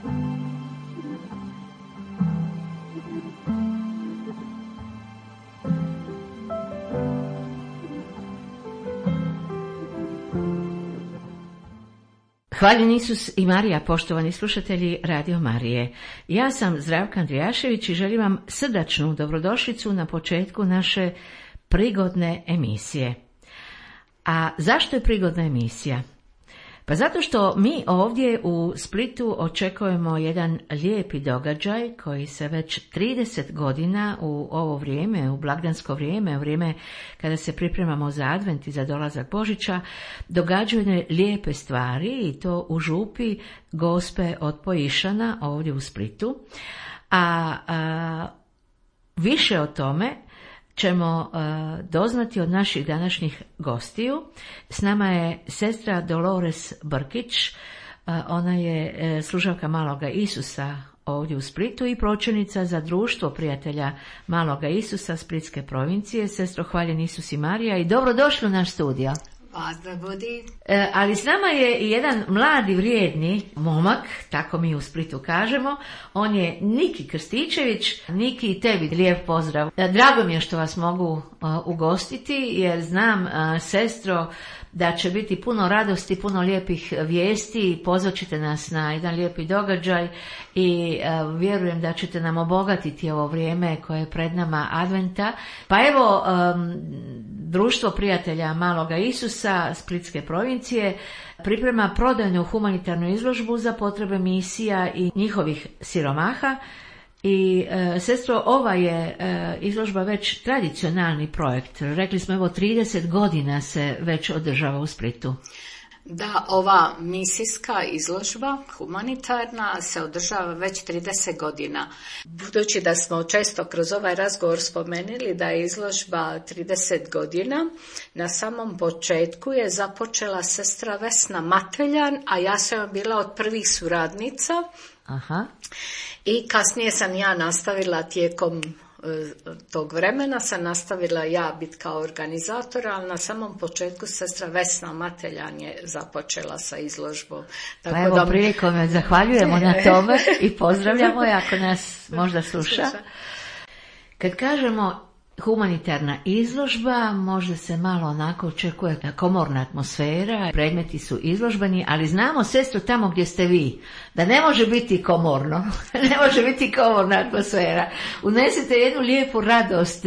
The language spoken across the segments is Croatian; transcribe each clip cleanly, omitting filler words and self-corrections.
Hvaljen Isus i Marija, poštovani slušatelji Radio Marije. Ja sam Zdravka Andrijašević i želim vam srdačnu dobrodošlicu na početku naše prigodne emisije. A zašto je prigodna emisija? Pa zato što mi ovdje u Splitu očekujemo jedan lijepi događaj koji se već 30 godina u ovo vrijeme, u blagdansko vrijeme, u vrijeme kada se pripremamo za Advent i za dolazak Božića, događaju lijepe stvari i to u župi Gospe od Pojišana ovdje u Splitu. A više o tome ćemo doznati od naših današnjih gostiju. S nama je sestra Dolores Brkić, ona je služavka Maloga Isusa ovdje u Splitu i pročelnica za društvo prijatelja Maloga Isusa Splitske provincije. Sestro, hvaljen Isus i Marija i dobrodošli u naš studio. Pozdrav budi. Ali s nama je i jedan mladi vrijedni momak, tako mi u Splitu kažemo. On je Niki Krstičević. Niki, i tebi lijep pozdrav. Drago mi je što vas mogu ugostiti, jer znam, sestro, da će biti puno radosti, puno lijepih vijesti. Pozvat ćete nas na jedan lijepi događaj i vjerujem da ćete nam obogatiti ovo vrijeme koje je pred nama Adventa. Pa evo, društvo prijatelja Maloga Isusa Splitske provincije priprema prodajnu humanitarnu izložbu za potrebe misija i njihovih siromaha. I sestro, ova je izložba već tradicionalni projekt. Rekli smo, evo, 30 godina se već održava u Splitu. Da, ova misijska izložba humanitarna se održava već 30 godina. Budući da smo često kroz ovaj razgovor spomenuli da je izložba 30 godina, na samom početku je započela sestra Vesna Mateljan, a ja sam bila od prvih suradnica. Aha. I kasnije sam ja nastavila tijekom tog vremena, sam nastavila ja biti kao organizatora, ali na samom početku sestra Vesna Mateljan je započela sa izložbom. Tako pa evo, prilikom je zahvaljujemo na tome i pozdravljamo je ako nas možda sluša. Kad kažemo humanitarna izložba, možda se malo onako očekuje komorna atmosfera, predmeti su izložbeni, ali znamo, sestro, tamo gdje ste vi, da ne može biti komorno, ne može biti komorna atmosfera. Unesete jednu lijepu radost,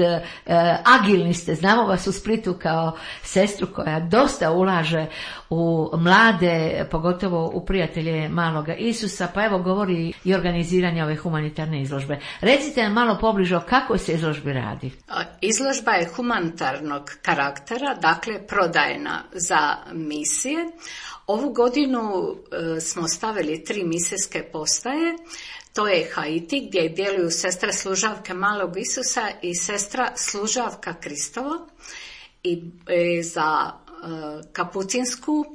agilni ste, znamo vas u Splitu kao sestru koja dosta ulaže u mlade, pogotovo u prijatelje Maloga Isusa, pa evo govori i organiziranje ove humanitarne izložbe. Recite nam malo pobliže o kakvoj se izložbi radi. Izložba je humanitarnog karaktera, dakle prodajna za misije. Ovu godinu smo stavili 3 misijske postaje. To je Haiti, gdje djeluju sestre služavke Malog Isusa i sestra služavka Kristova. I za kapucinsku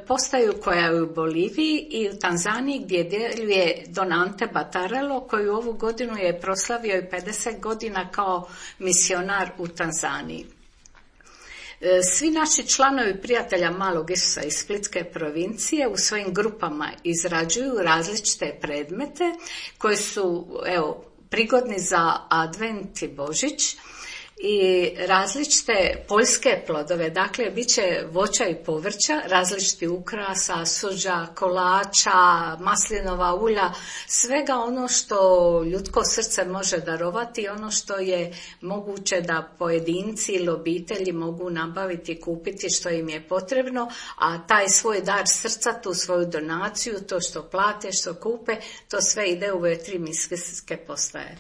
postaju koja je u Boliviji i u Tanzaniji gdje djeluje Don Ante Batarello, koji ovu godinu je proslavio i 50 godina kao misionar u Tanzaniji. Svi naši članovi prijatelja Malog Isusa iz Splitske provincije u svojim grupama izrađuju različite predmete koji su prigodni za Advent i Božić i različite poljske plodove, dakle bit će voća i povrća, različiti ukrasa, suđa, kolača, maslinova ulja, svega ono što ljudsko srce može darovati i ono što je moguće da pojedinci ili obitelji mogu nabaviti, kupiti što im je potrebno, a taj svoj dar srca, tu svoju donaciju, to što plate, što kupe, to sve ide u ove 3 misijske postaje.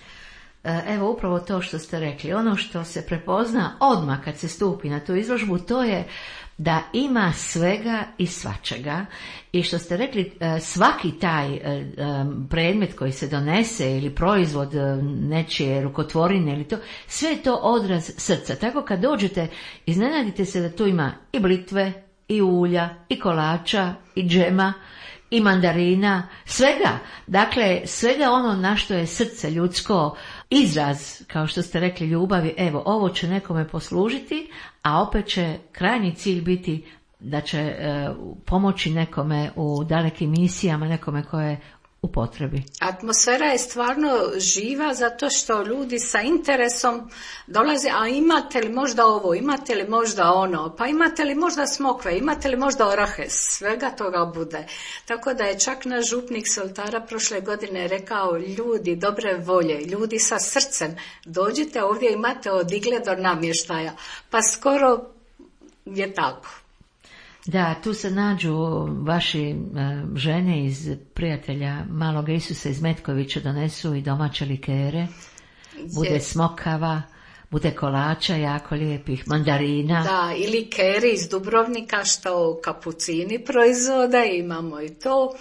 Evo upravo to što ste rekli, ono što se prepozna odmah kad se stupi na tu izložbu, to je da ima svega i svačega i što ste rekli, svaki taj predmet koji se donese ili proizvod nečije rukotvorine ili to, sve je to odraz srca. Tako kad dođete, iznenadite se da tu ima i blitve, i ulja, i kolača, i džema, i mandarina, svega. Dakle, svega ono na što je srce ljudsko izraz, kao što ste rekli, ljubavi. Evo, ovo će nekome poslužiti, a opet će krajnji cilj biti da će pomoći nekome u dalekim misijama, nekome koje je u potrebi. Atmosfera je stvarno živa zato što ljudi sa interesom dolaze, a imate li možda ovo, imate li možda ono, pa imate li možda smokve, imate li možda orahe, svega toga bude. Tako da je čak naš župnik s oltara prošle godine rekao, ljudi dobre volje, ljudi sa srcem, dođite ovdje, imate od igle do namještaja, pa skoro je tako. Da, tu se nađu vaši žene iz prijatelja Malog Isusa iz Metkovića, donesu i domaće likere, bude smokava, bude kolača jako lijepih, mandarina. Da, i likeri iz Dubrovnika što kapucini proizvode, imamo i to.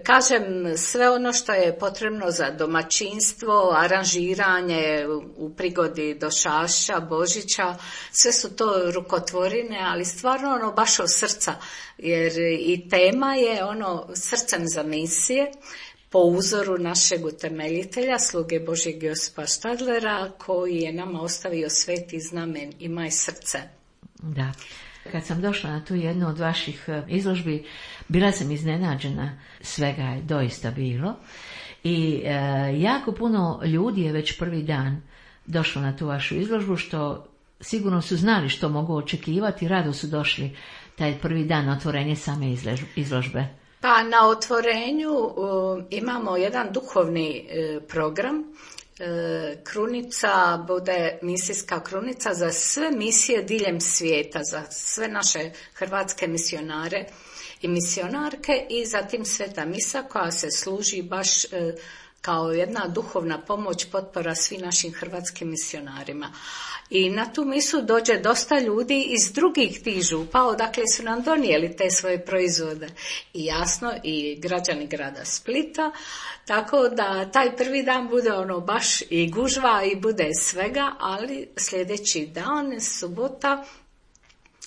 Kažem, sve ono što je potrebno za domaćinstvo, aranžiranje u prigodi Došašća, Božića, sve su to rukotvorine, ali stvarno ono baš od srca, jer i tema je ono srcem za misije, po uzoru našeg utemeljitelja, sluge Božjeg Josipa Štadlera, koji je nama ostavio sveti znamen Imaj srce. Da. Kad sam došla na tu jednu od vaših izložbi, bila sam iznenađena, svega je doista bilo. I jako puno ljudi je već prvi dan došlo na tu vašu izložbu, što sigurno su znali što mogu očekivati, rado su došli taj prvi dan otvorenje same izložbe. Pa na otvorenju imamo jedan duhovni program. Krunica bude misijska krunica za sve misije diljem svijeta, za sve naše hrvatske misionare i misionarke, i zatim sveta misa koja se služi baš kao jedna duhovna pomoć, potpora svim našim hrvatskim misionarima. I na tu misu dođe dosta ljudi iz drugih tih župa, odakle su nam donijeli te svoje proizvode. I jasno, i građani grada Splita, tako da taj prvi dan bude ono baš i gužva i bude svega, ali sljedeći dan, subota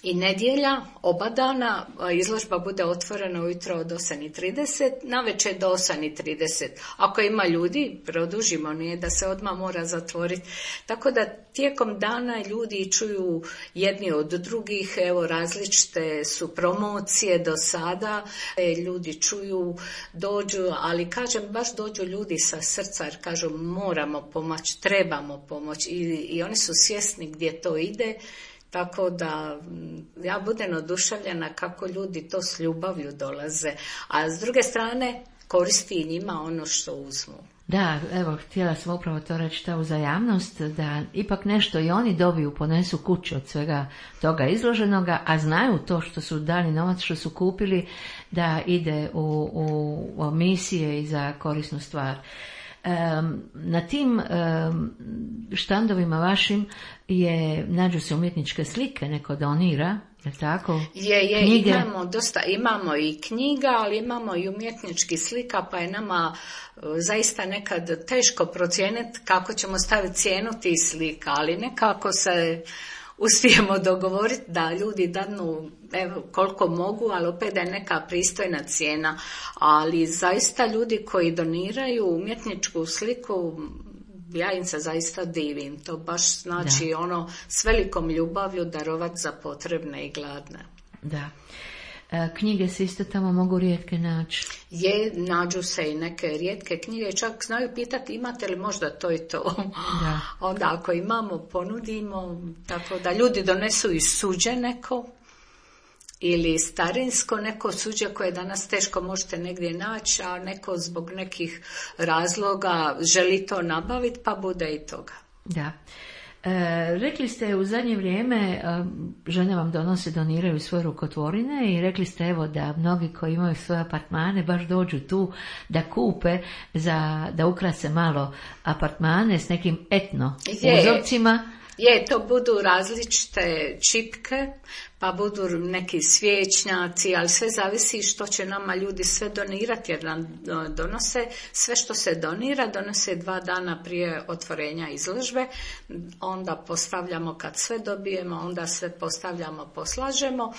i nedjelja, oba dana, izložba bude otvorena ujutro od 8:30, navečer do 8:30. Ako ima ljudi, produžimo, nije da se odmah mora zatvoriti. Tako da tijekom dana ljudi čuju jedni od drugih, evo različite su promocije do sada, ljudi čuju, dođu, ali kažem, baš dođu ljudi sa srca jer kažu moramo pomoći, trebamo pomoći i oni su svjesni gdje to ide. Tako da ja budem oduševljena kako ljudi to s ljubavlju dolaze, a s druge strane koristi i njima ono što uzmu. Da, evo, htjela sam upravo to reći, ta uzajamnost, da ipak nešto i oni dobiju, ponesu kuću od svega toga izloženoga, a znaju to što su dali novac, što su kupili, da ide u misije i za korisnu stvar. Na tim štandovima vašim nađu se umjetničke slike, neko donira, je tako? Knjige. Imamo i knjiga, ali imamo i umjetničkih slika, pa je nama zaista nekad teško procijeniti kako ćemo staviti cijenu tih slika, ali nekako se uspijemo dogovoriti da ljudi dadnu koliko mogu, ali opet da je neka pristojna cijena. Ali zaista ljudi koji doniraju umjetničku sliku, ja im se zaista divim. To baš znači ono s velikom ljubavlju darovat za potrebne i gladne. Da. Knjige se isto tamo mogu rijetke naći. Nađu se i neke rijetke knjige, čak znaju pitati imate li možda to i to. Da. Onda ako imamo, ponudimo, tako da ljudi donesu i suđe neko, ili starinsko neko suđe koje danas teško možete negdje naći, a neko zbog nekih razloga želi to nabaviti, pa bude i toga. Da. Rekli ste u zadnje vrijeme žene vam doniraju svoje rukotvorine i rekli ste evo da mnogi koji imaju svoje apartmane baš dođu tu da kupe da ukrase malo apartmane s nekim etno uzorcima. To budu različite čipke, pa budu neki svječnjaci, ali sve zavisi što će nama ljudi sve donirati, jer nam donose sve što se donose 2 dana prije otvorenja izložbe, onda postavljamo kad sve dobijemo, onda sve postavljamo, poslažemo.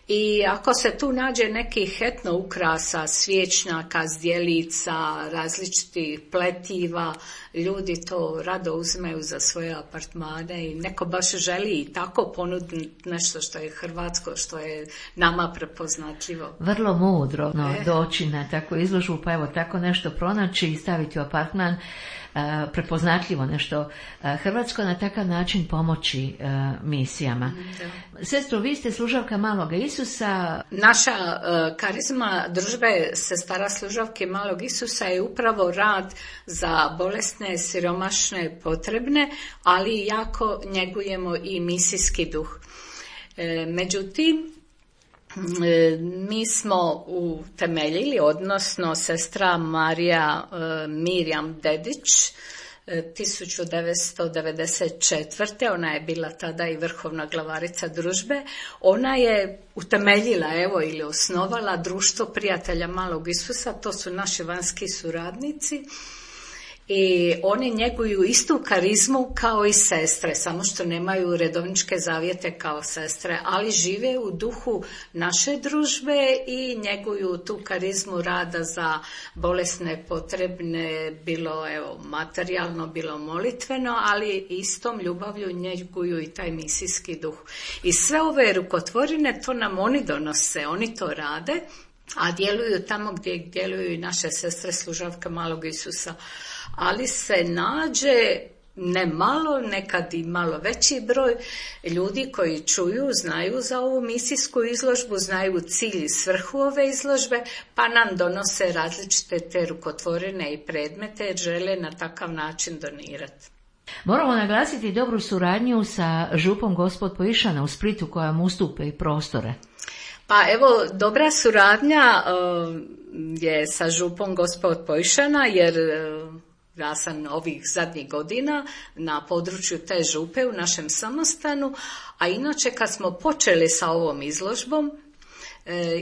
I ako se tu nađe nekih etno ukrasa, svječnjaka, zdjelica, različitih pletiva, ljudi to rado uzmeju za svoje apartmane i neko baš želi i tako ponuditi nešto što je hrvatsko, što je nama prepoznatljivo. Vrlo mudro doći na takvu izložbu, pa evo tako nešto pronaći i staviti u apartman, prepoznatljivo nešto hrvatsko, na takav način pomoći misijama. Sestro, vi ste služavka Malog Isusa. Naša karizma družbe sestara služavke Malog Isusa je upravo rad za bolesne, siromašne, potrebne, ali jako njegujemo i misijski duh. Međutim, mi smo utemeljili, odnosno sestra Marija Mirjam Dedić 1994. Ona je bila tada i vrhovna glavarica družbe. Ona je utemeljila ili osnovala Društvo prijatelja Malog Isusa, to su naši vanjski suradnici. I oni njeguju istu karizmu kao i sestre, samo što nemaju redovničke zavjete kao sestre, ali žive u duhu naše družbe i njeguju tu karizmu rada za bolesne, potrebne, bilo materijalno, bilo molitveno, ali istom ljubavlju njeguju i taj misijski duh. I sve ove rukotvorine, to nam oni donose, oni to rade, a djeluju tamo gdje djeluju i naše sestre služavke Malog Isusa. Ali se nađe ne malo, nekad i malo veći broj ljudi koji čuju, znaju za ovu misijsku izložbu, znaju cilj i svrhu ove izložbe, pa nam donose različite te rukotvorine i predmete jer žele na takav način donirati. Moramo naglasiti dobru suradnju sa župom Gospod Poišana u Splitu koja mu ustupe i prostore. Pa dobra suradnja je sa župom Gospod Poišana jer ja sam ovih zadnjih godina na području te župe u našem samostanu, a inače kad smo počeli sa ovom izložbom,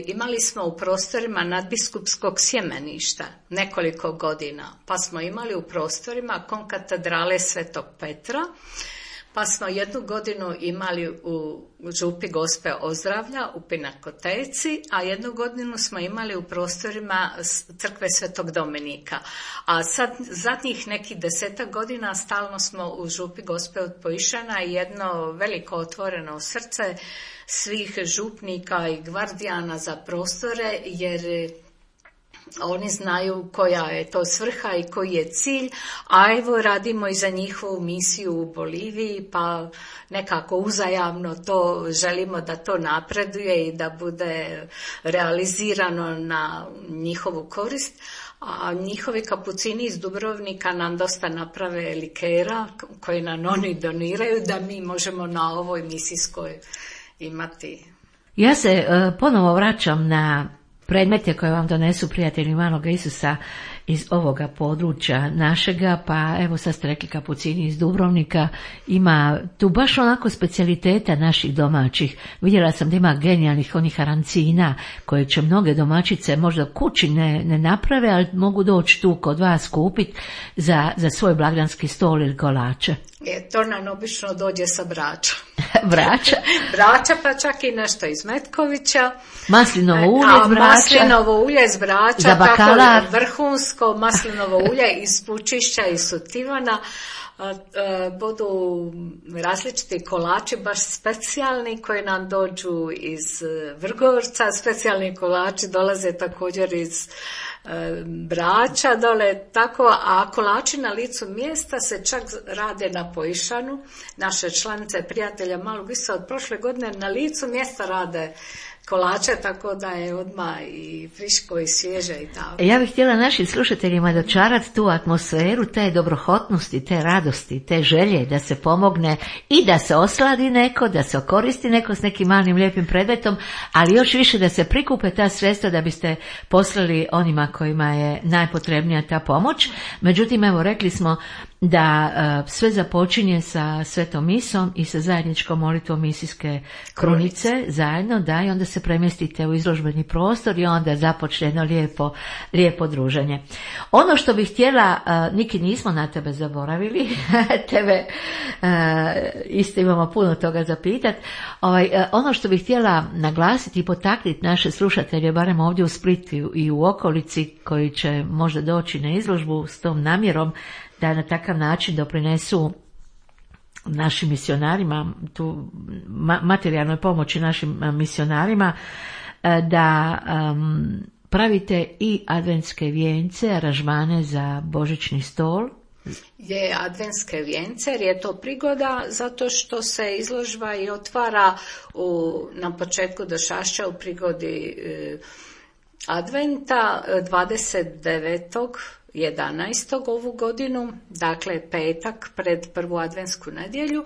imali smo u prostorima nadbiskupskog sjemeništa nekoliko godina, pa smo imali u prostorima konkatedrale Svetog Petra, pa smo jednu godinu imali u župi Gospe Ozdravlja u Pinakoteci, a jednu godinu smo imali u prostorima crkve Svetog Dominika. A sad zadnjih nekih 10 godina stalno smo u župi Gospe od Poišana i jedno veliko otvoreno srce svih župnika i gvardijana za prostore, jer oni znaju koja je to svrha i koji je cilj, a radimo i za njihovu misiju u Boliviji, pa nekako uzajamno to želimo da to napreduje i da bude realizirano na njihovu korist. A njihovi kapucini iz Dubrovnika nam dosta naprave likera koje nam oni doniraju da mi možemo na ovoj misijskoj imati. Ja se ponovo vraćam na predmete koje vam donesu prijatelji Malog Isusa iz ovoga područja našega, pa evo sad ste rekli kapucini iz Dubrovnika, ima tu baš onako specijaliteta naših domaćih. Vidjela sam da ima genijalnih onih arancina koje će mnoge domaćice možda kući ne naprave, ali mogu doći tu kod vas kupiti za svoj blagdanski stol ili kolače. To nam obično dođe sa Brača. Brača, pa čak i nešto iz Metkovića. Maslinovo ulje iz Brača. Maslinovo ulje iz Brača, za bakalar. Tako vrhunsko maslinovo ulje iz Pučišća i Sutivana. Budu različiti kolači, baš specijalni koji nam dođu iz Vrgorca. Specijalni kolači dolaze također iz Brača dole, tako, a kolači na licu mjesta se čak rade na Poišanu. Naše članice prijatelja Malog Isusa od prošle godine na licu mjesta rade kolače, tako da je odmah i friško i svježe i tako. Ja bih htjela našim slušateljima dočarati tu atmosferu te dobrohotnosti, te radosti, te želje da se pomogne i da se osladi neko, da se okoristi neko s nekim malim lijepim predmetom, ali još više da se prikupe ta sredstva da biste poslali onima kojima je najpotrebnija ta pomoć. Međutim, evo rekli smo da sve započinje sa svetom misom i sa zajedničkom molitvom misijske krunice zajedno, da, i onda se premjestite u izložbeni prostor i onda započne jedno lijepo druženje. Ono što bih htjela, Niki, nismo na tebe zaboravili, tebe isto imamo puno toga za pitat. Ono što bih htjela naglasiti i potaknuti naše slušatelje, barem ovdje u Splitu i u okolici, koji će možda doći na izložbu s tom namjerom da na takav način doprinesu našim misionarima, tu materijalnoj pomoći našim misionarima, da pravite i adventske vijence, aranžmane za božićni stol. Je adventske vijence, jer je to prigoda zato što se izložba i otvara na početku Došašća u prigodi Adventa 29.11. ovu godinu, dakle petak pred prvu adventsku nedjelju.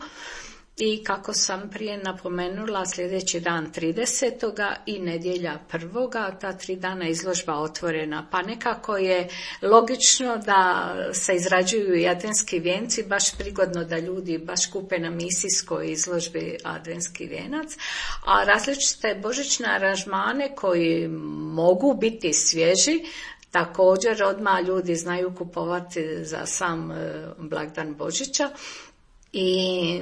I kako sam prije napomenula, sljedeći dan 30. i nedjelja 1. ta 3 dana izložba otvorena. Pa nekako je logično da se izrađuju i adventski vijenci, baš prigodno da ljudi baš kupe na misijskoj izložbi adventski vijenac. A različite božićne aranžmane koji mogu biti svježi, također odmah ljudi znaju kupovati za sam blagdan Božića. I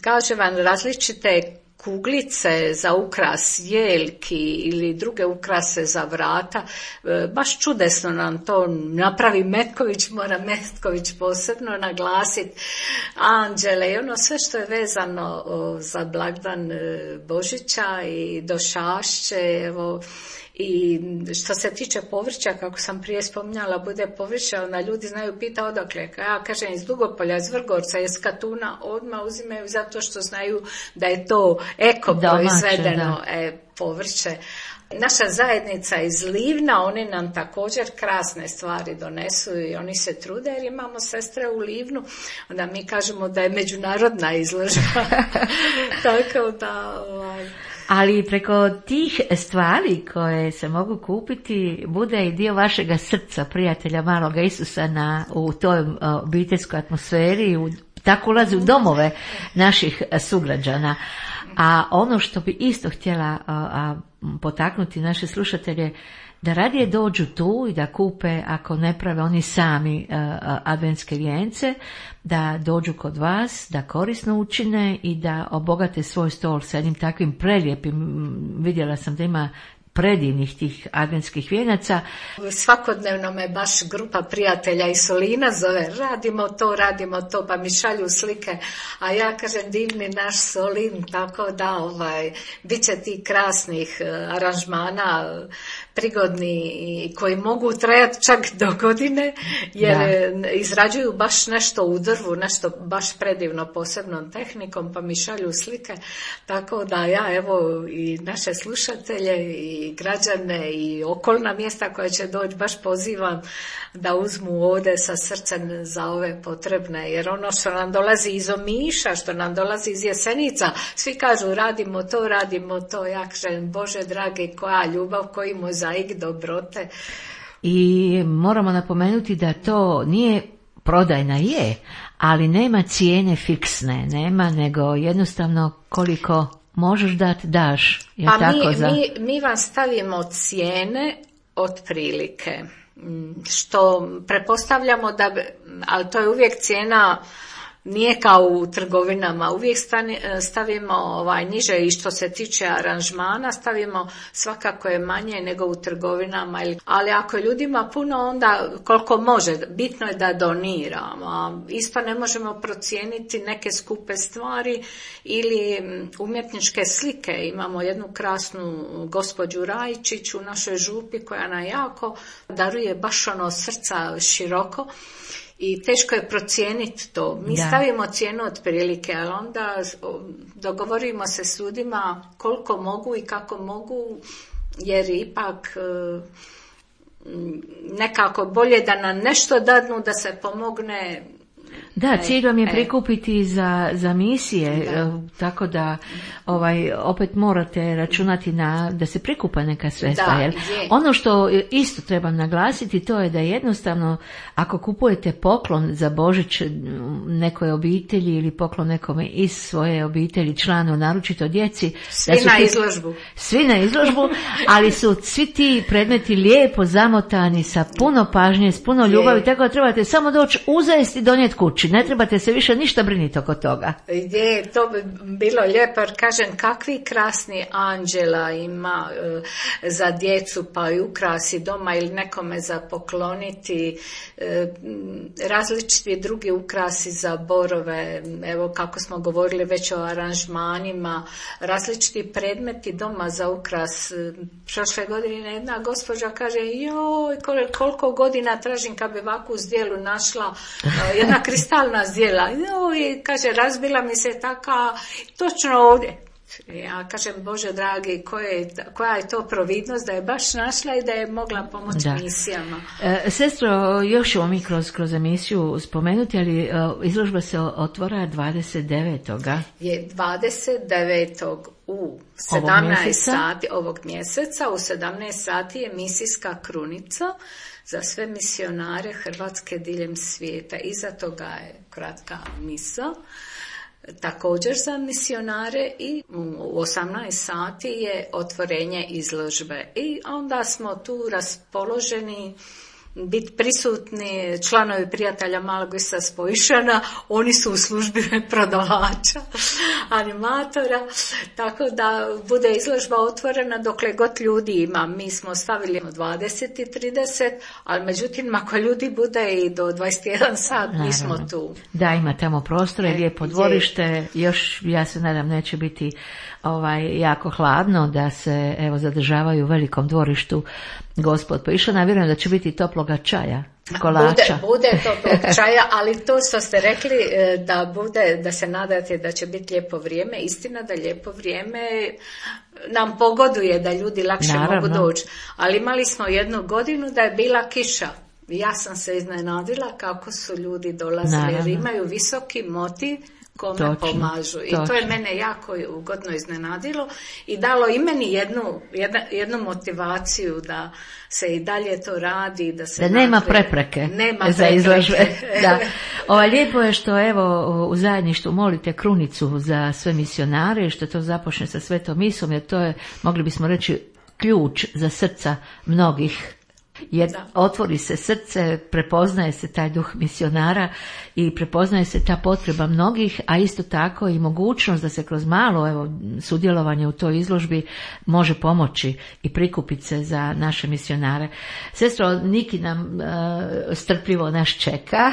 kaže vam, različite kuglice za ukras jeljki ili druge ukrase za vrata, baš čudesno nam to napravi Metković, mora Metković posebno naglasiti, anđele i ono sve što je vezano za blagdan Božića i Došašće, evo. I što se tiče povrća, kako sam prije spominjala, bude povrće, onda ljudi znaju pita odakle. Ja kažem iz Dugopolja, iz Vrgorca, iz Katuna, odmah uzimaju zato što znaju da je to eko proizvedeno povrće. Naša zajednica iz Livna, oni nam također krasne stvari donesu i oni se trude jer imamo sestre u Livnu, onda mi kažemo da je međunarodna izložba. Tako da... Ali preko tih stvari koje se mogu kupiti bude i dio vašega srca, prijatelja maloga Isusa u toj obiteljskoj atmosferi, tako ulazi u domove naših sugrađana. A ono što bi isto htjela potaknuti naše slušatelje, da radije dođu tu i da kupe, ako ne prave oni sami adventske vijence, da dođu kod vas, da korisno učine i da obogate svoj stol sa jednim takvim prelijepim, vidjela sam da ima predivnih tih adventskih vijenaca. Svakodnevno me baš grupa prijatelja iz Solina zove, radimo to, pa mi šalju slike, a ja kažem divni naš Solin, tako da bit će tih krasnih aranžmana, prigodni i koji mogu trajati čak do godine, jer izrađuju baš nešto u drvu, nešto baš predivno posebnom tehnikom, pa mi šalju slike, tako da ja evo i naše slušatelje i građane i okolna mjesta koja će doći baš pozivam da uzmu ovdje sa srcem za ove potrebne, jer ono što nam dolazi iz Omiša, što nam dolazi iz Jesenica, svi kažu radimo to, ja kažem Bože dragi, koja ljubav, koji mozaik dobrote. I moramo napomenuti da to nije prodajna, ali nema cijene fiksne, nema, nego jednostavno koliko možeš dati, daš. Mi vam stavimo cijene otprilike, što prepostavljamo da, ali to je uvijek cijena, nije kao u trgovinama, uvijek stavimo niže i što se tiče aranžmana, stavimo svakako je manje nego u trgovinama, ali ako je ljudima puno, onda koliko može, bitno je da doniramo. Isto ne možemo procijeniti neke skupe stvari ili umjetničke slike. Imamo jednu krasnu gospođu Rajčić u našoj župi koja nam jako daruje baš ono srca široko. I teško je procijeniti to. Mi stavimo cijenu otprilike, ali onda dogovorimo se s ljudima koliko mogu i kako mogu, jer ipak nekako bolje da nam nešto dadnu, da se pomogne Da, cilj vam je prikupiti za misije, tako da opet morate računati da se prikupa neka sredstva. Jer ono što isto treba naglasiti, to je da jednostavno ako kupujete poklon za Božić nekoj obitelji ili poklon nekome iz svoje obitelji, članu, naročito djeci, svi na izložbu, ali su svi ti predmeti lijepo zamotani sa puno pažnje, s puno ljubavi, tako da trebate samo doći uzeti i donijeti kući. Ne trebate se više ništa brinuti oko toga. Je, to bi bilo lijepo, jer kažem, kakvi krasni anđela ima za djecu, pa i ukrasi doma ili nekome za pokloniti, različiti drugi ukrasi za borove, evo kako smo govorili već o aranžmanima, različiti predmeti doma za ukras. Prošle godine jedna gospođa kaže, joj, koliko godina tražim kad bi ovakvu zdjelu našla, jedna kristalna zdjela, joj, kaže, razbila mi se taka, točno ovdje. Ja kažem, Bože dragi, koja je to providnost da je baš našla i da je mogla pomoći misijama. Sestro, još ćemo mi kroz emisiju spomenuti, ali izložba se otvara 29. Je 29. u 17 sati ovog mjeseca, u 17 sati je misijska krunica za sve misionare Hrvatske diljem svijeta. Iza toga je kratka misa. Također za misionare i u 18 sati je otvorenje izložbe i onda smo tu raspoloženi biti prisutni članovi prijatelja Malog Isusa Spojišana, oni su u službi prodavača, animatora, tako da bude izložba otvorena dokle god ljudi ima. Mi smo stavili 20 i 30, ali međutim ako ljudi bude i do 21 sat, mi smo tu. Da, ima tamo prostora, lijepo dvorište, još ja se nadam neće biti jako hladno, da se zadržavaju u velikom dvorištu Gospod Spojišana. Vjerujem da će biti toploga čaja, kolača. Bude toplog čaja, ali to što ste rekli da se nadate da će biti lijepo vrijeme, istina da lijepo vrijeme nam pogoduje da ljudi lakše mogu doći. Ali imali smo jednu godinu da je bila kiša. Ja sam se iznenadila kako su ljudi dolazili, jer imaju visoki motiv kome pomažu. I to je mene jako ugodno iznenadilo i dalo i meni jednu motivaciju da se i dalje to radi, da nema prepreke za izložbe. Da. Lijepo je što u zajedništvu molite krunicu za sve misionare, što to započne sa Svetom misom, jer to je, mogli bismo reći, ključ za srca mnogih. Jer otvori se srce, prepoznaje se taj duh misionara i prepoznaje se ta potreba mnogih, a isto tako i mogućnost da se kroz malo sudjelovanje u toj izložbi može pomoći i prikupiti se za naše misionare. Sestro, Niki nam strpljivo nas čeka.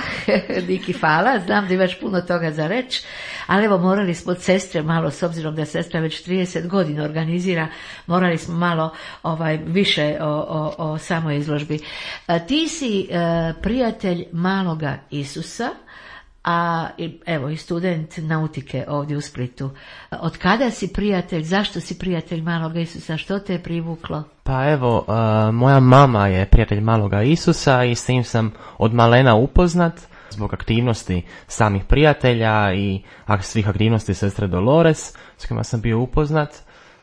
Niki, hvala, znam da imaš puno toga za reći, ali morali smo od sestre malo, s obzirom da sestra već 30 godina organizira, morali smo malo više o samoj izložbi. Ti si prijatelj Maloga Isusa, a i student nautike ovdje u Splitu. Od kada si prijatelj, zašto si prijatelj Maloga Isusa, što te je privuklo? Pa moja mama je prijatelj Maloga Isusa i s tim sam od malena upoznat zbog aktivnosti samih prijatelja i svih aktivnosti sestre Dolores s kojima sam bio upoznat.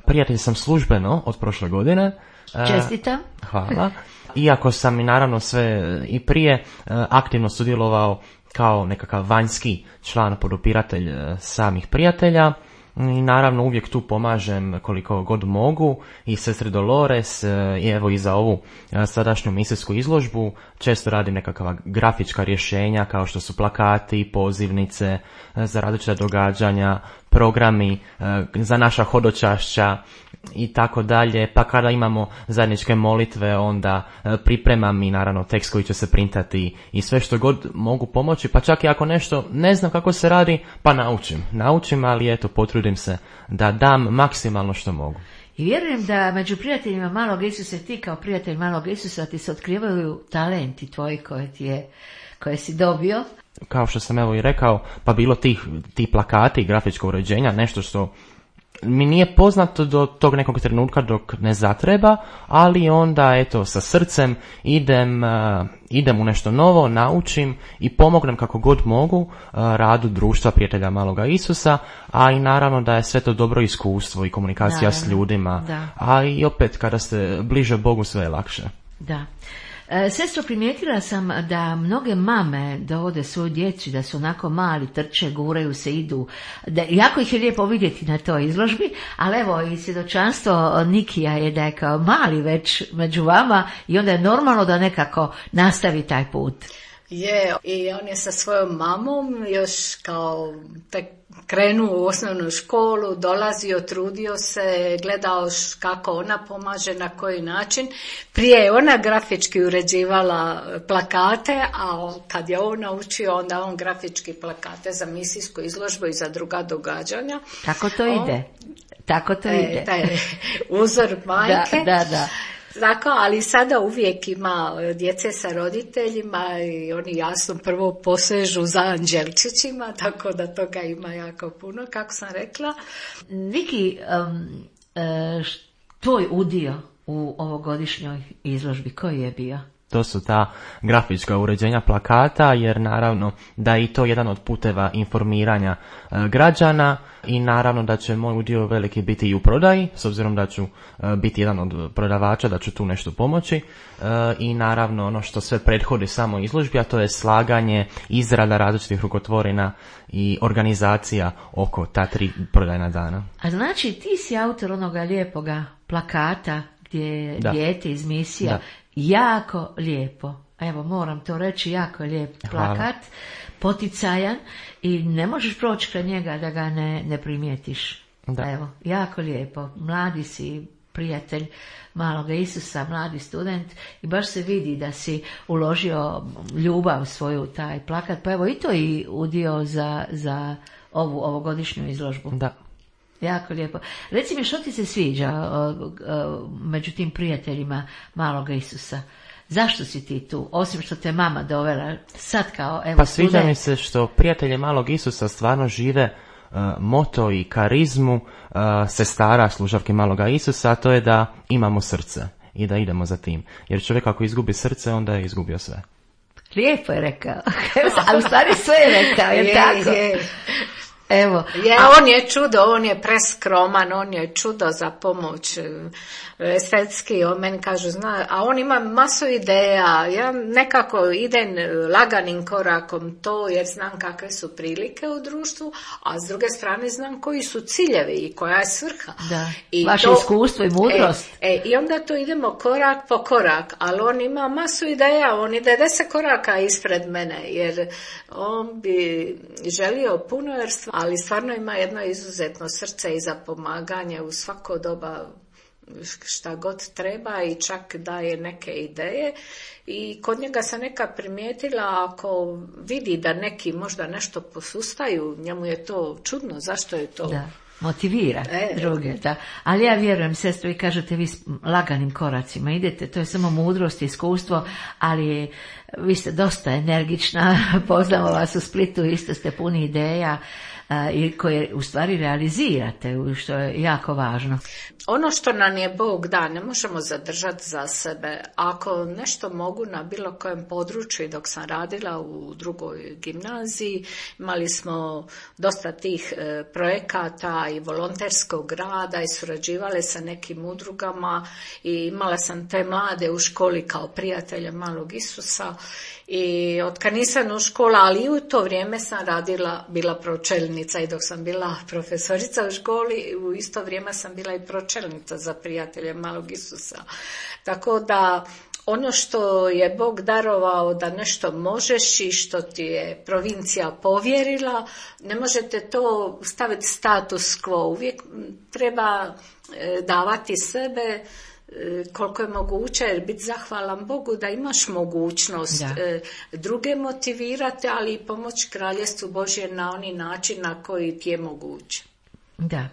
Prijatelj sam službeno od prošle godine. Čestitam. Hvala. Iako sam i naravno sve i prije aktivno sudjelovao kao nekakav vanjski član, podupiratelj samih prijatelja i naravno uvijek tu pomažem koliko god mogu i sestri Dolores i za ovu sadašnju misijsku izložbu često radim nekakva grafička rješenja kao što su plakati, pozivnice za različita događanja, programi za naša hodočašća i tako dalje, pa kada imamo zajedničke molitve onda pripremam i naravno tekst koji će se printati i sve što god mogu pomoći, pa čak i ako nešto ne znam kako se radi, pa naučim, ali potrudim se da dam maksimalno što mogu. I vjerujem da među prijateljima Malog Isusa, ti kao prijatelj Malog Isusa, ti se otkrivaju talenti tvoji koje si dobio. Kao što sam i rekao, pa bilo ti plakati i grafičko uređenja, nešto što mi nije poznato do tog nekog trenutka dok ne zatreba, ali onda eto sa srcem idem u nešto novo, naučim i pomognem kako god mogu radu društva prijatelja Maloga Isusa, a i naravno da je sve to dobro iskustvo i komunikacija s ljudima, a i opet kada ste bliže Bogu sve je lakše. Da. Sestro, primijetila sam da mnoge mame dovode svoju djecu, da su onako mali, trče, guraju se, idu. Jako ih je lijepo vidjeti na toj izložbi, ali evo i svjedočanstvo Nikija je da je kao mali već među vama i onda je normalno da nekako nastavi taj put. Je, i on je sa svojom mamom još kao tek krenuo u osnovnu školu, dolazio, trudio se, gledao kako ona pomaže, na koji način. Prije je ona grafički uređivala plakate, a kad je on naučio, onda on grafički plakate za misijsku izložbu i za druga događanja. Tako to ide. Tako to ide. Taj uzor majke. Da. Tako, ali sada uvijek ima djece sa roditeljima i oni jasno prvo posežu za anđelčićima, tako da toga ima jako puno, kako sam rekla. Niki, tvoj udio u ovogodišnjoj izložbi, koji je bio? To su ta grafička uređenja plakata, jer naravno da je i to jedan od puteva informiranja građana i naravno da će moj udio veliki biti i u prodaji, s obzirom da ću biti jedan od prodavača, da ću tu nešto pomoći i naravno ono što sve prethodi samo izložbi, a to je slaganje, izrada različitih rukotvorina i organizacija oko ta 3 prodajna dana. A znači ti si autor onoga lijepoga plakata gdje je dijete iz misija. Da. Jako lijepo, evo moram to reći, jako je lijep plakat, poticajan i ne možeš proći kraj njega da ga ne primijetiš. Da. Evo, jako lijepo, mladi si prijatelj Maloga Isusa, mladi student i baš se vidi da si uložio ljubav svoju taj plakat, pa evo i to i udio za ovu ovogodišnju izložbu. Da. Jako lijepo. Reci mi, što ti se sviđa među tim prijateljima Maloga Isusa? Zašto si ti tu? Osim što te mama dovela sad kao evo. Pa sviđa mi se što prijatelji Malog Isusa stvarno žive moto i karizmu sestara služavke Maloga Isusa, a to je da imamo srce i da idemo za tim. Jer čovjek ako izgubi srce, onda je izgubio sve. Lijepo je rekao. Ali u stvari sve je rekao, je tako? Evo. On je čudo, on je preskroman, on je čudo za pomoć estetski, on meni kaže, a on ima masu ideja, ja nekako idem laganim korakom to jer znam kakve su prilike u društvu, a s druge strane znam koji su ciljevi i koja je svrha. Da, i vaše iskustvo i mudrost. I onda to idemo korak po korak, ali on ima masu ideja, on ide 10 koraka ispred mene, jer on bi želio puno, ali stvarno ima jedno izuzetno srce i za pomaganje u svako doba šta god treba i čak daje neke ideje i kod njega sam neka primijetila ako vidi da neki možda nešto posustaju, njemu je to čudno, zašto je to? Da, motivira druge, da. Ali ja vjerujem, sestro, i kažete vi laganim koracima idete, to je samo mudrost i iskustvo, ali vi ste dosta energična, poznamo vas u Splitu, isto ste puni ideja i koje u stvari realizirate, što je jako važno. Ono što nam je Bog da, ne možemo zadržati za sebe. Ako nešto mogu na bilo kojem području, dok sam radila u drugoj gimnaziji, imali smo dosta tih projekata i volonterskog rada i surađivale sa nekim udrugama i imala sam te mlade u školi kao prijatelje Malog Isusa i od kad nisam u školi, ali i u to vrijeme sam bila pročelnica i dok sam bila profesorica u školi, u isto vrijeme sam bila i pročelnica za prijatelje Malog Isusa. Tako da ono što je Bog darovao da nešto možeš i što ti je provincija povjerila, ne možete to staviti status quo. Uvijek treba davati sebe koliko je moguće, jer biti zahvalan Bogu da imaš mogućnost druge motivirati, ali i pomoći kraljestvu Božje na oni način na koji ti je moguće. Da.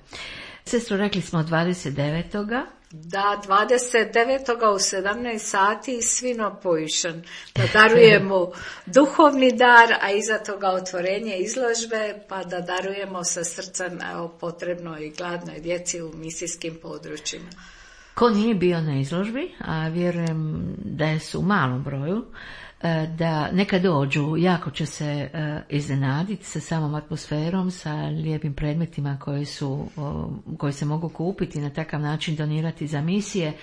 Sestro, rekli smo 29. Da, 29. u 17 sati Svinopojišan. Da darujemo duhovni dar, a iza toga otvorenje izložbe, pa da darujemo sa srcem potrebnoj i gladnoj djeci u misijskim područjima. Ko nije bio na izložbi, a vjerujem da su u malom broju, da neka dođu, jako će se iznenaditi sa samom atmosferom, sa lijepim predmetima koji se mogu kupiti i na takav način donirati za misije.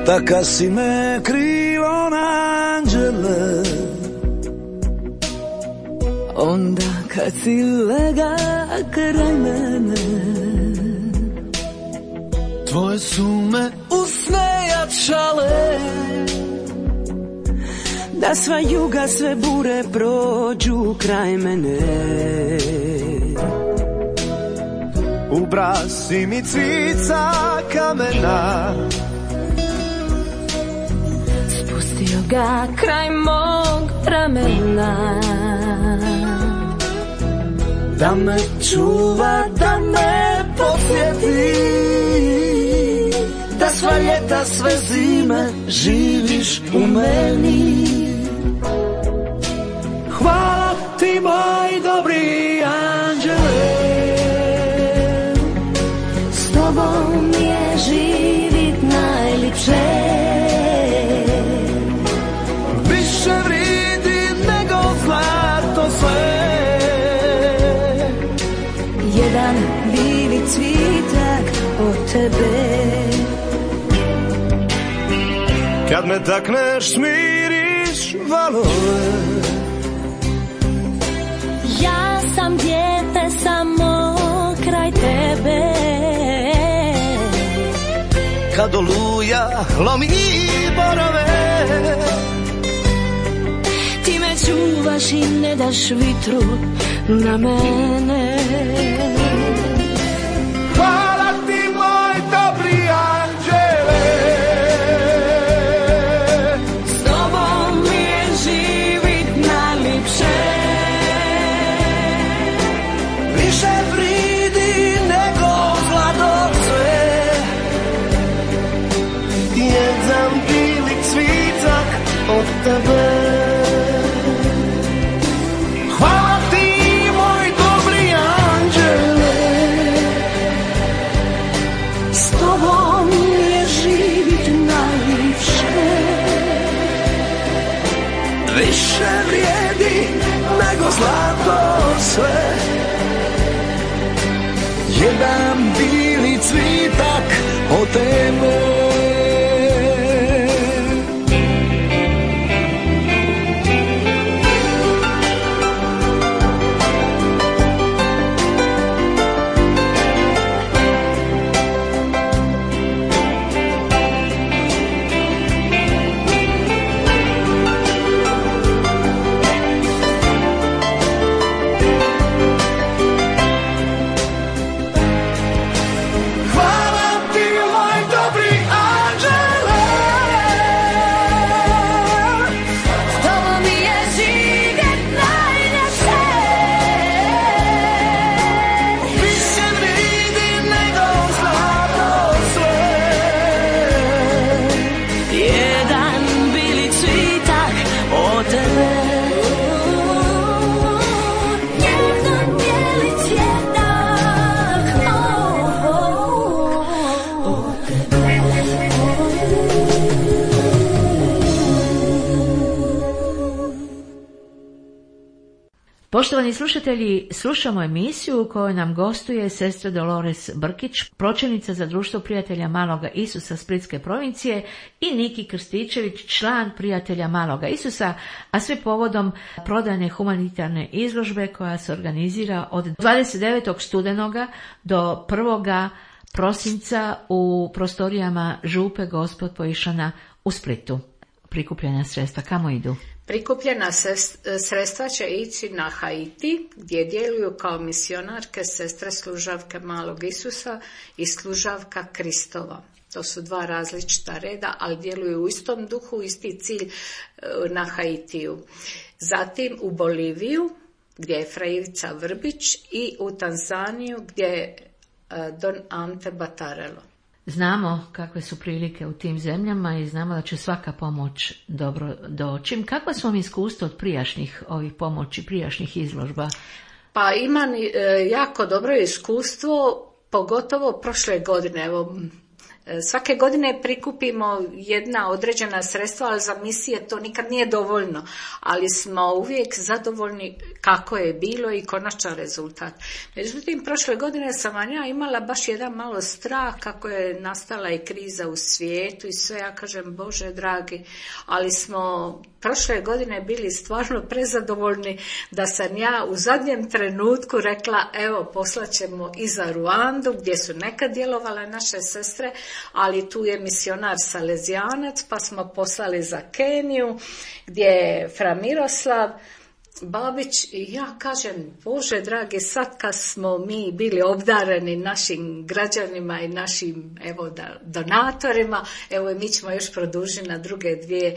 Taka si me krivo anđele, onda kad si lega kraj mene, tvoje su me usne jačale, da sva juga, sve bure prođu kraj mene. U brasi mi cvica kamena, spustio ga kraj mog ramena, da me čuva, da me podsjeti, da sva ljeta, sve zime živiš u meni. Hvala ti, moj dobri anđele, s tobom je živit najlipše. Više vridi nego zlato sve, jedan bili cvitak od tebe. Kad me takneš, smiriš valove, ja sam dijete samo kraj tebe. Kad oluja lomi borove, ti me čuvaš i ne daš vitru na mene. Hvala ti, moj dobri anđele, s tobom mi je živit najlipše. Više vridi nego zlato sve, jedan bili cvitak od tebe. Hvala ti, moj dobri anđele, s tobom je živit najlipše. Više vrijedi nego zlato sve, jedan bili cvitak od tebe. Poštovani slušatelji, slušamo emisiju u kojoj nam gostuje sestra Dolores Brkić, pročelnica za društvo prijatelja Maloga Isusa Splitske provincije, i Niki Krstičević, član prijatelja Maloga Isusa, a sve povodom prodajne humanitarne izložbe koja se organizira od 29. studenoga do 1. prosinca u prostorijama Župe Gospod Pojišana u Splitu. prikupljena sredstva, kamo idu? Prikupljena sredstva će ići na Haiti, gdje djeluju kao misionarke sestre služavke Malog Isusa i služavka Kristova. To su dva različita reda, ali djeluju u istom duhu, isti cilj na Haitiju. Zatim u Boliviju, gdje je fra Ivica Vrbić, i u Tanzaniju, gdje je Don Ante Batarelo. Znamo kakve su prilike u tim zemljama i znamo da će svaka pomoć dobro doći. Kakva su vam iskustva od prijašnjih ovih pomoći, prijašnjih izložba? Pa imam jako dobro iskustvo, pogotovo prošle godine. Evo, svake godine prikupimo jedna određena sredstva, ali za misije to nikad nije dovoljno. Ali smo uvijek zadovoljni kako je bilo i konačan rezultat. Međutim, prošle godine sam ja imala baš jedan malo strah kako je nastala i kriza u svijetu i sve. Ja kažem, Bože dragi, ali smo prošle godine bili stvarno prezadovoljni da sam ja u zadnjem trenutku rekla, evo, poslaćemo i za Ruandu, gdje su nekad djelovale naše sestre, ali tu je misionar Salezijanac, pa smo poslali za Keniju, gdje je fra Miroslav Babić, i ja kažem, Bože dragi, sad kad smo mi bili obdareni našim građanima i našim, evo, donatorima, evo, mi ćemo još produžiti na druge dvije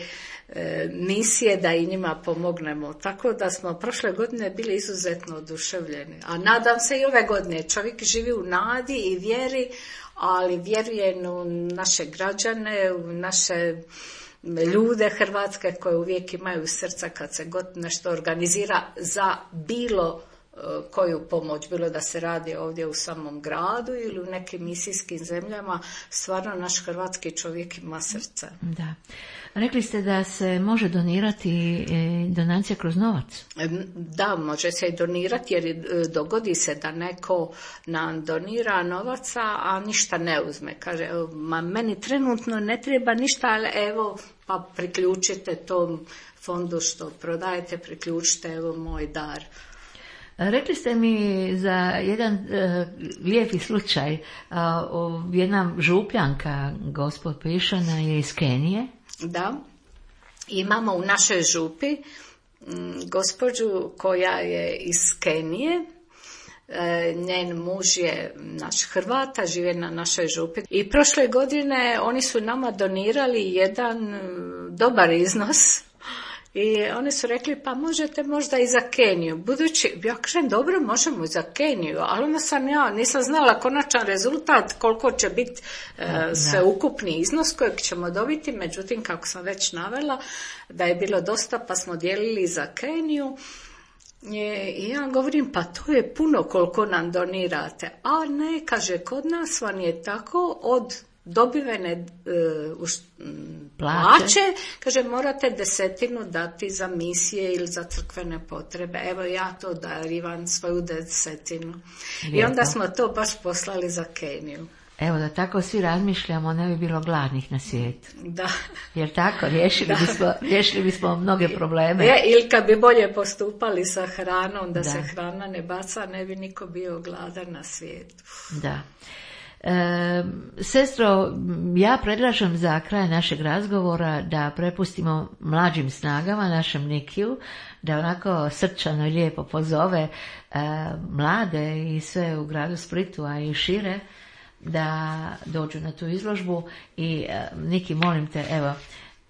misije da i njima pomognemo. Tako da smo prošle godine bili izuzetno oduševljeni. A nadam se i ove godine. Čovjek živi u nadi i vjeri, ali vjerujem u naše građane, u naše ljude hrvatske koje uvijek imaju srca kad se god nešto organizira za bilo koju pomoć, bilo da se radi ovdje u samom gradu ili u nekim misijskim zemljama. Stvarno naš hrvatski čovjek ima srce. Da. Rekli ste da se može donirati donacija kroz novac? Da, može se i donirati, jer dogodi se da neko nam donira novaca, a ništa ne uzme. Kaže, meni trenutno ne treba ništa, ali evo, pa priključite tom fondu što prodajete, priključite, evo moj dar. Rekli ste mi za jedan lijepi slučaj, jedna župljanka, gospod Pišana, je iz Kenije. Da, imamo u našoj župi gospođu koja je iz Kenije, njen muž je naš Hrvata, žive na našoj župi. I prošle godine oni su nama donirali jedan dobar iznos. I oni su rekli, pa možete možda i za Keniju. Budući, ja kažem, dobro, možemo i za Keniju, ali onda nisam znala konačan rezultat, koliko će biti sveukupni iznos kojeg ćemo dobiti. Međutim, kako sam već navela, da je bilo dosta, pa smo dijelili za Keniju. I ja govorim, pa to je puno koliko nam donirate. A ne, kaže, kod nas vam je tako od dobivene plaće, kaže, morate 10% dati za misije ili za crkvene potrebe. Evo, ja to darivam, svoju 10%. I onda smo to baš poslali za Keniju. Evo, da tako svi razmišljamo, ne bi bilo gladnih na svijetu. Da. Jer tako, riješili bismo mnoge probleme. Ili kad bi bolje postupali sa hranom, da se hrana ne baca, ne bi niko bio gladan na svijetu. Da. Sestro, ja predlažem za kraj našeg razgovora da prepustimo mlađim snagama, našem Nikiju, da onako srčano i lijepo pozove mlade i sve u gradu Splitu, a i šire, da dođu na tu izložbu. I Niki, molim te, evo,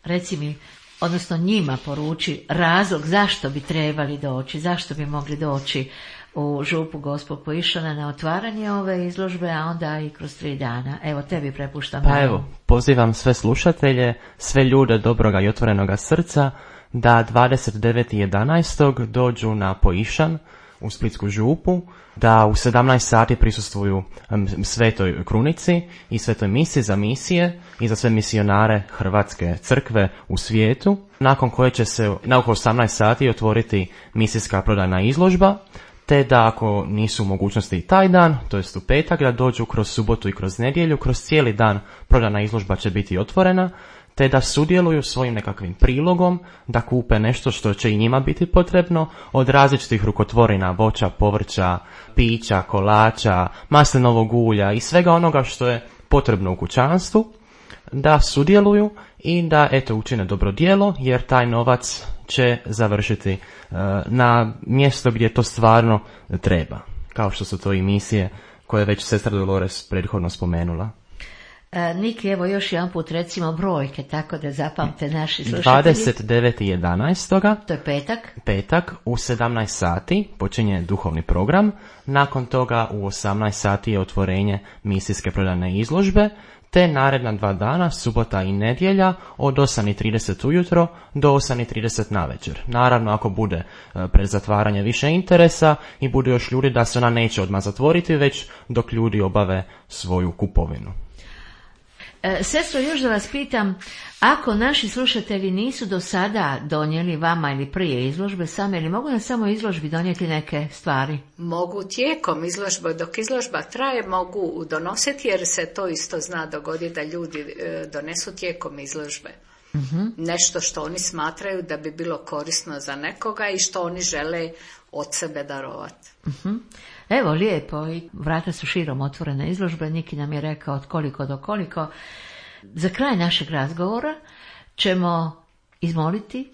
reci mi, odnosno njima poruči razlog zašto bi trebali doći, zašto bi mogli doći u župu Gospod Poišana na otvaranje ove izložbe, a onda i kroz 3 dana. Evo, tebi prepuštam. Pa evo, pozivam sve slušatelje, sve ljude dobroga i otvorenoga srca da 29.11. dođu na Poišan u Splitsku župu, da u 17 sati prisustvuju svetoj krunici i svetoj misi za misije i za sve misionare Hrvatske crkve u svijetu, nakon koje će se na oko 18 sati otvoriti misijska prodajna izložba, te da ako nisu u mogućnosti i taj dan, to jest u petak, da dođu kroz subotu i kroz nedjelju, kroz cijeli dan prodajna izložba će biti otvorena, te da sudjeluju svojim nekakvim prilogom, da kupe nešto što će i njima biti potrebno, od različitih rukotvorina, voća, povrća, pića, kolača, maslinovog ulja i svega onoga što je potrebno u kućanstvu. da sudjeluju i da učine dobro djelo, jer taj novac će završiti na mjesto gdje to stvarno treba, kao što su to i misije koje je već sestra Dolores prethodno spomenula. Niki, evo još jedan put recimo brojke, tako da zapamte naši slušatelji. 29.11. To je petak. Petak u 17 sati počinje duhovni program. Nakon toga u 18 sati je otvorenje misijske prodajne izložbe, te naredna 2 dana, subota i nedjelja, od 8:30 ujutro do 8:30 navečer. Naravno, ako bude pred zatvaranje više interesa i bude još ljudi, da se ona neće odmah zatvoriti, već dok ljudi obave svoju kupovinu. Sestro, još da vas pitam, ako naši slušatelji nisu do sada donijeli vama ili prije izložbe same, ili mogu na samo izložbi donijeti neke stvari? Mogu tijekom izložbe, dok izložba traje, mogu donositi, jer se to isto zna dogoditi da ljudi donesu tijekom izložbe. Nešto što oni smatraju da bi bilo korisno za nekoga i što oni žele od sebe darovati. Evo, lijepo, i vrata su širom otvorene izložbe. Niki nam je rekao od koliko do koliko. Za kraj našeg razgovora ćemo izmoliti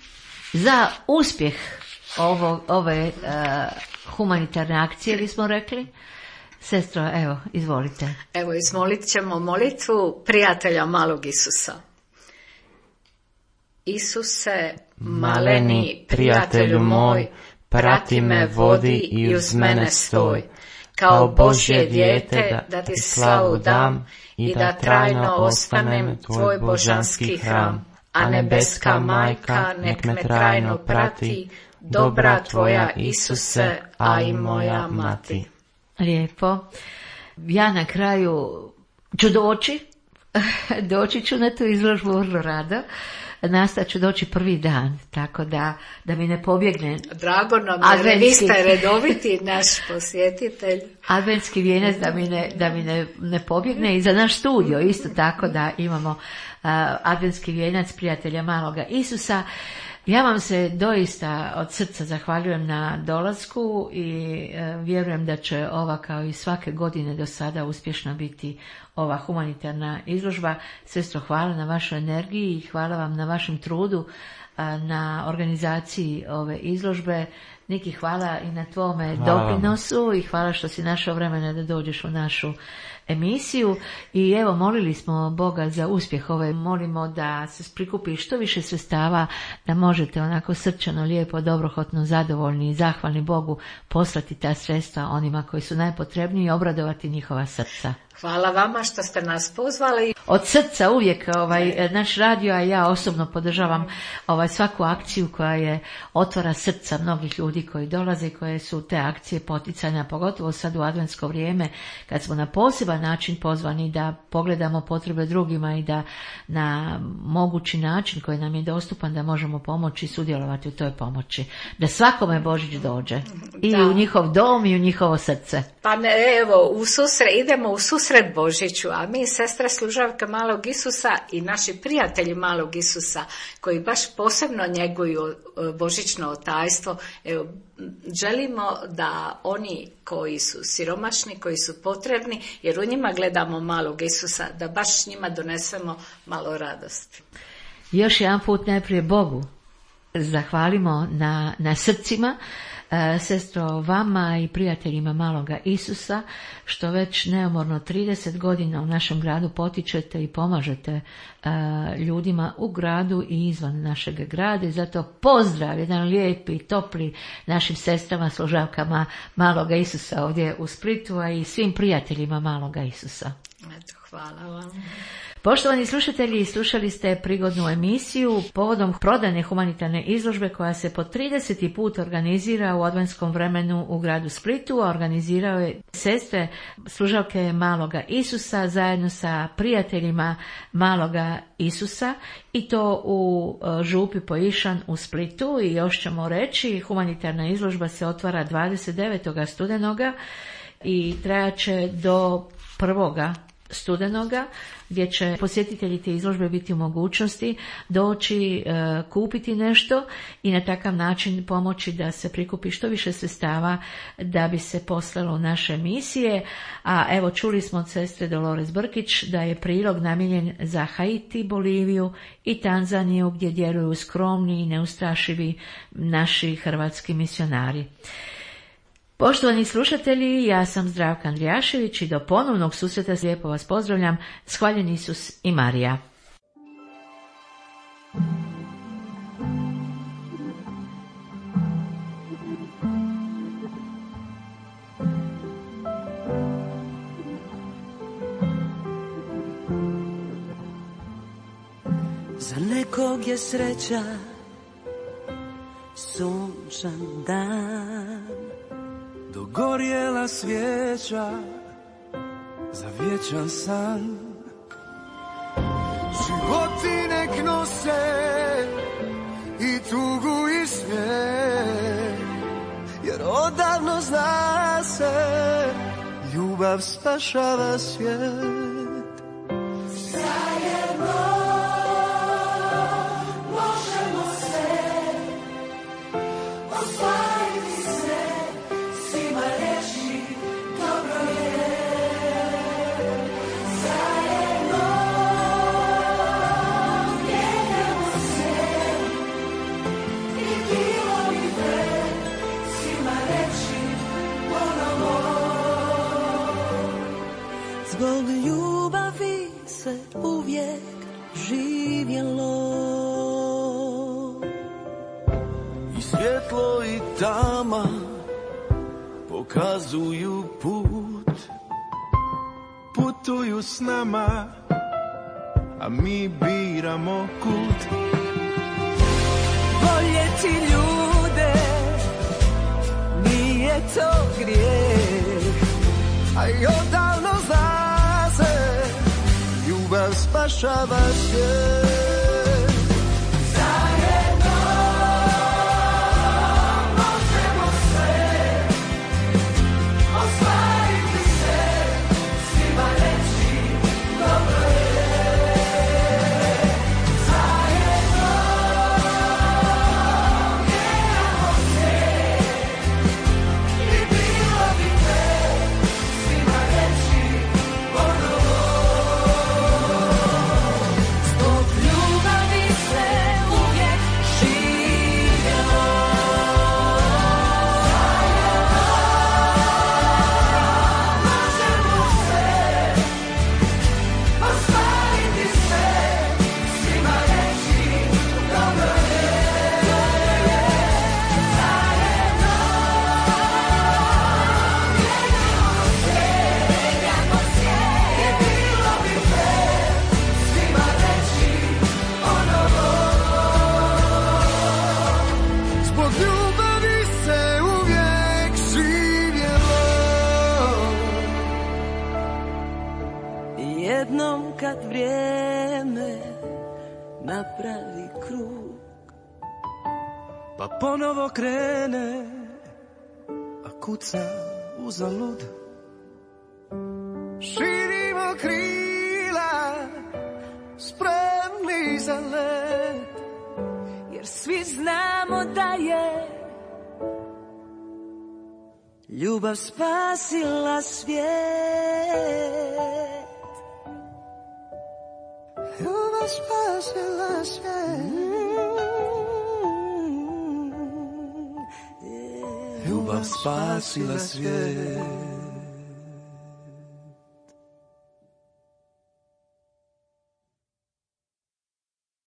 za uspjeh ove humanitarne akcije, ili smo rekli. Sestro, evo, izvolite. Evo, izmolit ćemo molitvu prijatelja malog Isusa. Isuse, maleni prijatelju moj, prati me, vodi i uz mene stoj. Kao Božje dijete da ti slavu dam i da trajno ostanem tvoj božanski hram. A nebeska majka nek me trajno prati, dobra tvoja Isuse, a i moja mati. Lijepo. Ja na kraju ću doći ću na tu izložbu vrlo rado. Nastat ću doći prvi dan, tako da mi ne pobjegne. Drago nam je, vi ste redoviti naš posjetitelj. Adventski vijenac da mi ne pobjegne, i za naš studio isto tako da imamo adventski vijenac prijatelja maloga Isusa. Ja vam se doista od srca zahvaljujem na dolasku i vjerujem da će ova, kao i svake godine do sada, uspješno biti ova humanitarna izložba. Sestro, hvala na vašoj energiji i hvala vam na vašem trudu na organizaciji ove izložbe. Niki, hvala i na tvome doprinosu i hvala što si našao vremena da dođeš u našu emisiju. I evo, molili smo Boga za uspjeh ove, molimo da se prikupi što više sredstava, da možete onako srčano, lijepo, dobrohotno, zadovoljni i zahvalni Bogu poslati ta sredstva onima koji su najpotrebniji i obradovati njihova srca. Hvala vama što ste nas pozvali. Od srca uvijek naš radio, a ja osobno podržavam svaku akciju koja je otvara srca mnogih ljudi koji dolaze i koje su te akcije poticanja, pogotovo sad u adventsko vrijeme kad smo na poseban način pozvani da pogledamo potrebe drugima i da na mogući način koji nam je dostupan da možemo pomoći i sudjelovati u toj pomoći. Da svakome Božić dođe i u njihov dom i u njihovo srce. Pa ne, evo, idemo u susret Božiću, a mi, sestre služavke malog Isusa i naši prijatelji malog Isusa, koji baš posebno njeguju božićno tajstvo, evo, želimo da oni koji su siromašni, koji su potrebni, jer u njima gledamo malog Isusa, da baš njima donesemo malo radosti. Još jedan put najprije Bogu zahvalimo na srcima. Sestro, vama i prijateljima maloga Isusa, što već neumorno 30 godina u našem gradu potičete i pomažete ljudima u gradu i izvan našeg grada, i zato pozdrav, jedan lijepi, topli našim sestrama, služavkama maloga Isusa ovdje u Splitu, a i svim prijateljima maloga Isusa. Eto, hvala vam. Poštovani slušatelji, slušali ste prigodnu emisiju povodom prodajne humanitarne izložbe koja se po 30. put organizira u adventskom vremenu u gradu Splitu, a organizirao je sestre služavke maloga Isusa zajedno sa prijateljima maloga Isusa, i to u župi Poišan u Splitu. I još ćemo reći, humanitarna izložba se otvara 29. studenoga i trajaće do 1. studenoga, gdje će posjetitelji te izložbe biti u mogućnosti doći, kupiti nešto i na takav način pomoći da se prikupi što više sredstava da bi se poslalo u naše misije. A evo, čuli smo od sestre Dolores Brkić da je prilog namijenjen za Haiti, Boliviju i Tanzaniju, gdje djeluju skromni i neustrašivi naši hrvatski misionari. Poštovani slušatelji, ja sam Zdravka Andrijašević i do ponovnog susreta lijepo vas pozdravljam. Hvaljen Isus i Marija. Za nekog je sreća sunčan dan, dogorjela svijeća za vječan san. Životi nek nose i tugu i smijeh, jer odavno zna se, ljubav spašava svijet. zbog ljubavi se uvijek živjelo. I svjetlo i tama pokazuju put, putuju s nama, a mi biramo kud. Voljeti ljude nije to grijeh, a i odavno zna se, ljubav spašava svijet. jednom kad vrijeme napravi krug, pa ponovo krene, a kuca uzalud. Širimo krila, spremni za let, jer svi znamo da je ljubav spasila svijet. Ljubav spasila svijet. Ljubav spasila svijet.